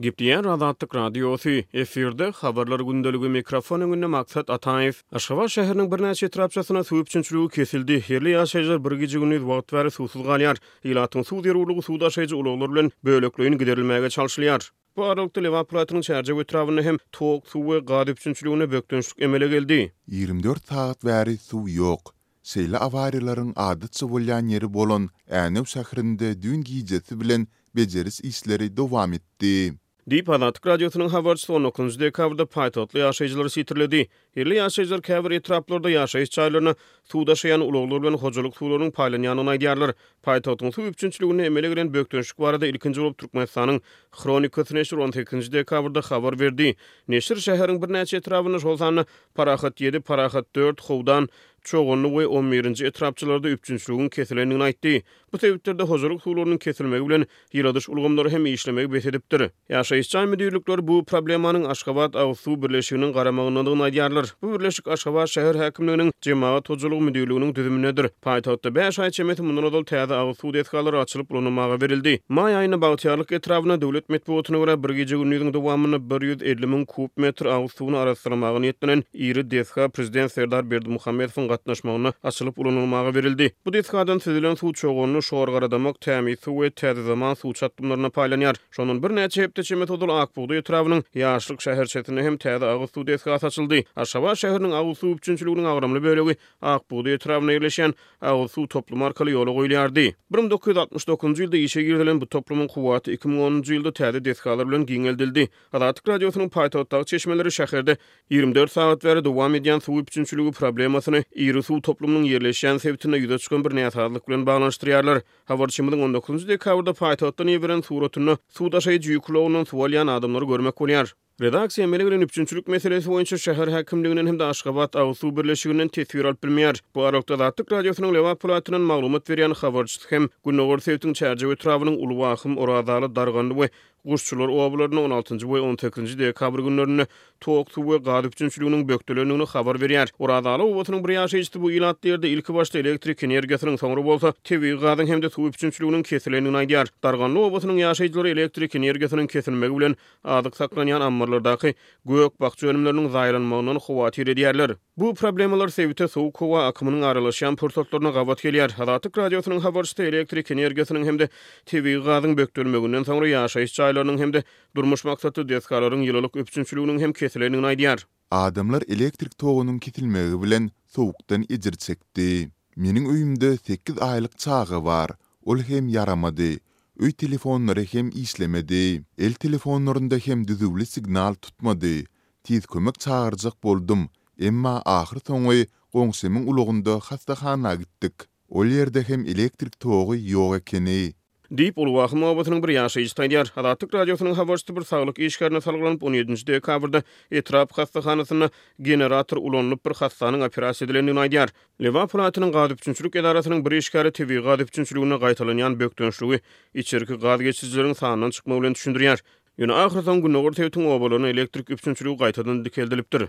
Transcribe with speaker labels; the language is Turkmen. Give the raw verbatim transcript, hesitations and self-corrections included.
Speaker 1: Gepleýär Azatlyk Radiosy, efirde Habarlar gündeligi, mikrofon öňünde Maksat Ataýew. Aşgabat şäheriniň birnäçe etrapçasynda suw üpjünçiligi kesildi. Ýerli ýaşaýjylar bir gije-gündiz wagt bäri suwsuz galýar. Ilatyň suw zerurlygy suw daşaýjy ulaglar bilen bölekleýin giderilmäge çalşylýar. Bu aralykda, Lebap welaýatynyň Çärjew etrabynda hem tok, suw we gaz üpjünçiliginde bökdençlik emele geldi.
Speaker 2: Ýigrimi dört sagat bäri suw ýok. Şeýle awariýalaryň adatça bolýan ýeri bolan Änew şäherinde düýn gijesi bilen bejeriş işleri dowam etdi.
Speaker 1: Diýip, Azatlyk Radiosynyň habarçysy on dokuzynjy dekabrda paýtagtly ýaşaýjylary sitirledi. Ýerli ýaşaýjylar käbir etraplarda ýaşaýyş jaýlaryna suw daşaýan ulaglar bilen hojalyk suwlarynyň paýlanýandygyny aýdýarlar. Paýtagtyň suw üpjünçiliginde emele gelen bökdençlik barada ilkinji bolup Türkmenistanyň Hronikasy neşiri on sekizinji dekabrda habar berdi. Neşir şäheriň birnäçe etrabynda, şol sanda Parahat ýedi, Parahat dört, Howdan, Çoganly we on birinji etrapçalarda üpjünçiligiň kesilendigini aýtdy. Bu sebitlerde hojalyk suwlarynyň kesilmegi bilen ýyladyş ulgamlary hem işlemegi bes edipdir. Ýaşaýyş jaý müdirlikleri bu problemanyň Aşgabat agyz suw birleşiginiň garamagyndadygyny aýdýarlar. Bu birleşik Aşgabat şäher häkimliginiň Jemagat hojalygy müdirliginiň düzümindedir. Paýtagtda bäş aý çemesi mundan ozal täze agyz suw desgalary açylyp ulanylmaga berildi. Maý aýynda Bagtyýarlyk etrabynda döwlet metbugatyna görä bir gije-gündiziň dowamynda bir ýüz elli müň kub metr agyz suwuny arassalamaga niýetlenen iri desga prezident Serdar Berdimuhamedowyň gatnaşmagynda açylyp ulanylmaga berildi. Bu desgadan süzülen suw Çoganly, Şorgaradamak, Tämiz suw we Täze zaman suw çatdymlaryna paýlanýar. Şondan birnäçe hepde çemesi ozal Ak bugdaý etrabynyň Ýaşlyk şäherçesinde hem täze agyz suw desgasy açyldy. Aşgabat şäheriniň agyz suw üpjünçiliginiň agramly bölegi Ak bugdaý etrabynda ýerleşýän agyz suw toplumy arkaly ýola goýulýardy. Bir müň dokuz ýüz altmyş dokuzynjy ýylda işe girizilen bu toplumyň kuwwaty iki müň onunjy ýylda täze desgalar bilen giňeldildi. Azatlyk Radiosynyň paýtagtdaky çeşmeleri şäherde ýigrimi dört sagat bäri dowam edýän suw üpjünçiligi problemasyny iri suw toplumynyň ýerleşýän sebitinde ýüze çykan bir näsazlyk bilen baglanyşdyrýarlar. Habarçymyzyň on dokuzynjy dekabrda paýtagtdan iberen suratynda suw daşaýjy ýük ulagyndan suw alýan adamlary görmek bolýar. Redaksiýa emele gelen üpjünçilik meselesi boýunça şäher häkimliginden hem-de Aşgabat agyz suw birleşiginden teswir alyp bilmeýär. Bu aralykda Azatlyk Radiosynyň Lebap welaýatyndan maglumat berýän habarçysy hem gündogar sebitiň Çärjew etrabynyň Uly Wahym, Orazaly, Darganly we Guşçular obalarynda on altynjy we on sekizinji dekabr günlerinde tok, suw we gaz üpjünçiliginiň bökdelendigini habar berýär. Orazaly obasynyň bir ýaşaýjysy bu ilatly ýerde ilki başda elektrik energiýasynyň, soňra bolsa tebigy gazyň hem-de suw üpjünçiliginiň kesilendigini aýdýar. Darganly obasynyň ýaşaýjylary elektrik energiýasynyň kesilmegi bilen azyk saklanýan ammarlardaky gök-bakja önümleriniň zaýalanmagyndan howatyr edýärler. Bu problemalar sebite sowuk howa akymynyň aralaşýan pursatlaryna gabat gelýär. Azatlyk Radiosynyň habarçysy elektrik energiýasynyň hem-de tebigy gazyň bökdelmeginden soňra ýaşaýyş jaýlarynyň hem-de durmuş maksatly desgalaryň ýylylyk üpjünçiliginiň hem kesilendigini aýdýar.
Speaker 2: Adamlar elektrik togunyň kesilmegi bilen sowukdan ejir çekdi. Meniň öýümde sekiz aýlyk çaga bar. Ol hem ýaramady. Öý telefonlary hem işlemedi. El telefonlarynda hem düzüwli signal tutmady. Tiz kömek çagyrjak boldum, emma ahyr soňy goňşymyň ulagynda hassahana gitdik. Ol ýerde hem elektrik togy ýok ekeni.
Speaker 1: Diýip, Uly Wahym obasynyň bir ýaşaýjysy aýdýar. Azatlyk Radiosynyň habarçysy bir saglyk işgärine salgylanyp, on ýedinji dekabrda etrap hassahanasynda generator ulanylyp bir hassanyň operasiýa edilendigini aýdýar. Lebap welaýatynyň gaz üpjünçilik edarasynyň bir işgäri tebigy gaz üpjünçiliginde gaýtalanýan bökdençligi içerki gaz geçirijileriň sandan çykmagy bilen düşündirýär. Ýöne ahyrsoňy gündogar sebitiň obalaryna elektrik üpjünçiligi gaýtadan dikeldilipdir.